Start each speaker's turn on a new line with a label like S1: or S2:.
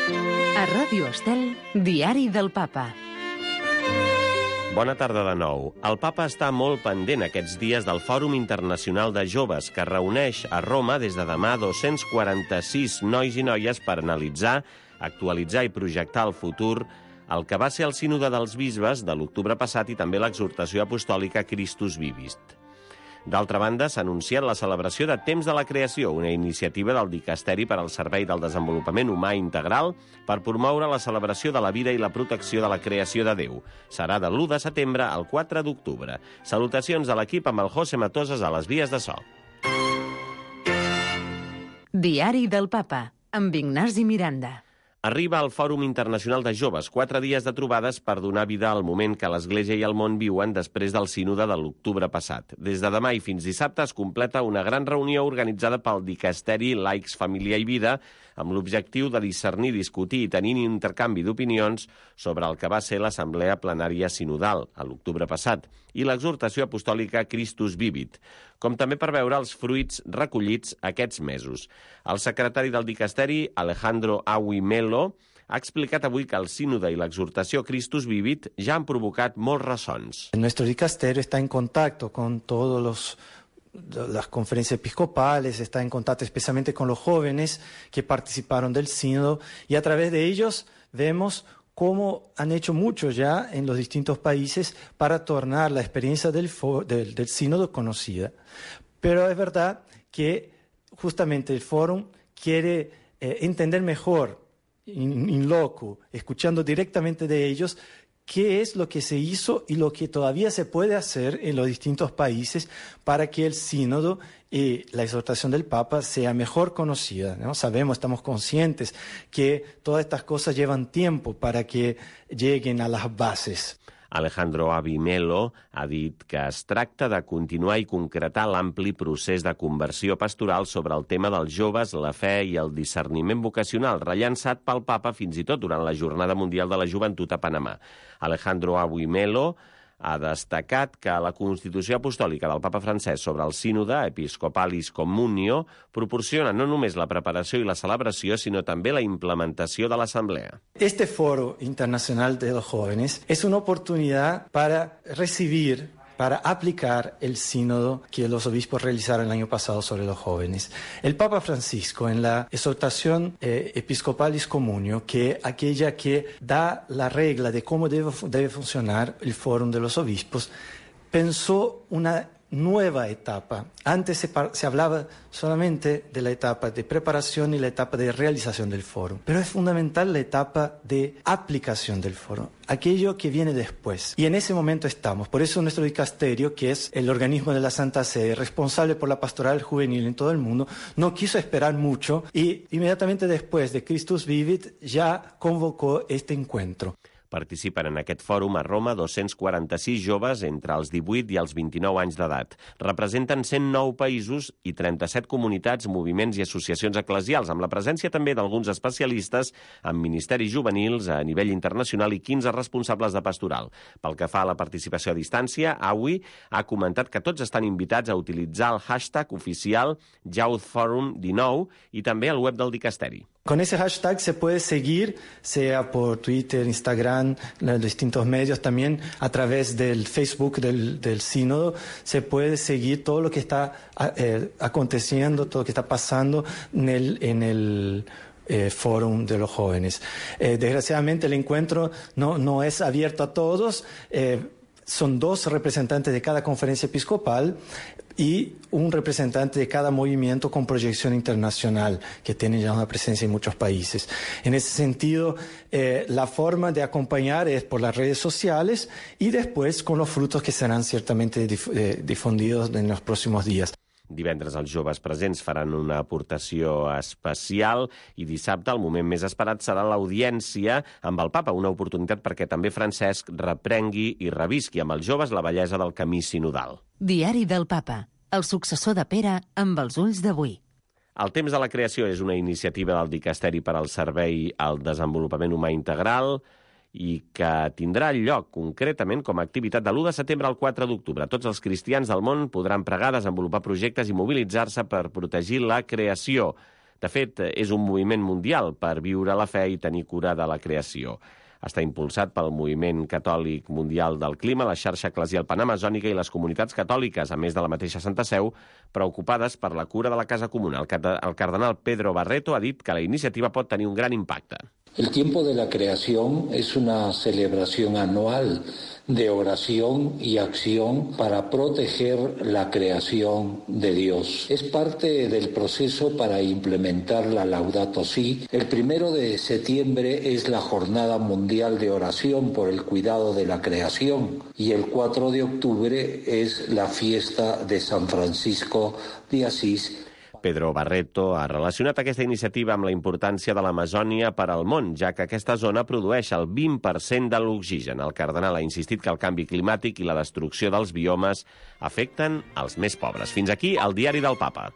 S1: A Ràdio Estel, Diari del Papa.
S2: Bona tarda de nou. El papa està molt pendent aquests dies del Fòrum Internacional de Joves, que reuneix a Roma des de demà 246 nois i noies per analitzar, actualitzar i projectar el futur el que va ser el sínode dels bisbes de l'octubre passat i també l'exhortació apostòlica Christus Vivit. D'altra banda, s'ha anunciat la celebració de Temps de la Creació, una iniciativa del Dicasteri per al Servei del Desenvolupament Humà Integral per promoure la celebració de la vida i la protecció de la creació de Déu. Serà de l'1 de setembre al 4 d'octubre. Salutacions a l'equip amb el José Matoses a les vies de so.
S1: Diari del Papa, amb Ignasi Miranda.
S2: Arriba al Fòrum Internacional de Joves, 4 dies de trobades per donar vida al moment que l'Església i el món viuen després del sínode de l'octubre passat. Des de demà i fins dissabte es completa una gran reunió organitzada pel Dicasteri Laics, Família i Vida, amb l'objectiu de discernir, discutir i tenir intercanvi d'opinions sobre el que va ser l'Assemblea Plenària Sinodal, a l'octubre passat, i l'exhortació apostòlica Christus Vivit, com també per veure els fruits recollits aquests mesos. El secretari del Dicasteri, Alejandro Awi Melo, ha explicat avui que el sínode i l'exhortació Christus Vivit ja han provocat molts ressons.
S3: Nuestro dicasterio está en contacto con todas las conferencias episcopales, está en contacto especialmente con los jóvenes que participaron del sínodo y a través de ellos vemos cómo han hecho mucho ya en los distintos países para tornar la experiencia del sínodo conocida. Pero es verdad que justamente el fórum quiere entender mejor, in loco, escuchando directamente de ellos, qué es lo que se hizo y lo que todavía se puede hacer en los distintos países para que el sínodo y la exhortación del Papa sea mejor conocida, ¿no? Sabemos, estamos conscientes que todas estas cosas llevan tiempo para que lleguen a las bases.
S2: Alejandro Awi Melo ha dit que es tracta de continuar i concretar l'ampli procés de conversió pastoral sobre el tema dels joves, la fe i el discerniment vocacional, rellançat pel Papa fins i tot durant la Jornada Mundial de la Joventut a Panamà. Alejandro Awi Melo ha destacat que la Constitució Apostòlica del Papa Francesc sobre el sínode, Episcopalis Communio, proporciona no només la preparació i la celebració, sinó també la implementació de l'Assemblea.
S3: Este Foro Internacional de los Jóvenes es una oportunidad para recibir, para aplicar el sínodo que los obispos realizaron el año pasado sobre los jóvenes. El Papa Francisco, en la exhortación Episcopalis Communio, que aquella que da la regla de cómo debe funcionar el Fórum de los Obispos, pensó una nueva etapa. Antes se hablaba solamente de la etapa de preparación y la etapa de realización del foro, pero es fundamental la etapa de aplicación del foro, aquello que viene después. Y en ese momento estamos. Por eso nuestro dicasterio, que es el organismo de la Santa Sede, responsable por la pastoral juvenil en todo el mundo, no quiso esperar mucho y inmediatamente después de Christus Vivit ya convocó este encuentro.
S2: Participen en aquest fòrum a Roma 246 joves entre els 18 i els 29 anys d'edat. Representen 109 països i 37 comunitats, moviments i associacions eclesials, amb la presència també d'alguns especialistes en ministeris juvenils a nivell internacional i 15 responsables de pastoral. Pel que fa a la participació a distància, Awi ha comentat que tots estan invitats a utilitzar el hashtag oficial YouthForum19 i també el web del Dicasteri.
S3: Con ese hashtag se puede seguir, sea por Twitter, Instagram, los distintos medios, también a través del Facebook del sínodo, se puede seguir todo lo que está aconteciendo, todo lo que está pasando en el Fórum de los Jóvenes. Desgraciadamente el encuentro no es abierto a todos, son 2 representantes de cada conferencia episcopal y un representante de cada movimiento con proyección internacional, que tiene ya una presencia en muchos países. En ese sentido, la forma de acompañar es por las redes sociales y después con los frutos que serán ciertamente difundidos en los próximos días.
S2: Divendres els joves presents faran una aportació especial i dissabte el moment més esperat serà l'audiència amb el Papa, una oportunitat perquè també Francesc reprengui i revisqui amb els joves la bellesa del camí sinodal.
S1: Diari del Papa, el successor de Pere amb els ulls d'avui.
S2: El Temps de la Creació és una iniciativa del Dicasteri per al Servei al Desenvolupament Humà Integral i que tindrà lloc concretament com a activitat de l'1 de setembre al 4 d'octubre. Tots els cristians del món podran pregar, desenvolupar projectes i mobilitzar-se per protegir la creació. De fet, és un moviment mundial per viure la fe i tenir cura de la creació. Està impulsat pel Moviment Catòlic Mundial del Clima, la xarxa eclesial panamazònica i les comunitats catòliques, a més de la mateixa Santa Seu, preocupades per la cura de la casa comuna. El cardenal Pedro Barreto ha dit que la iniciativa pot tenir un gran impacte.
S4: El tiempo de la creación es una celebración anual de oración y acción para proteger la creación de Dios. Es parte del proceso para implementar la Laudato Si. El 1 de septiembre es la Jornada Mundial de Oración por el Cuidado de la Creación y el 4 de octubre es la fiesta de San Francisco de Asís.
S2: Pedro Barreto ha relacionat aquesta iniciativa amb la importància de l'Amazònia per al món, ja que aquesta zona produeix el 20% de l'oxigen. El cardenal ha insistit que el canvi climàtic i la destrucció dels biomes afecten els més pobres. Fins aquí el diari del Papa.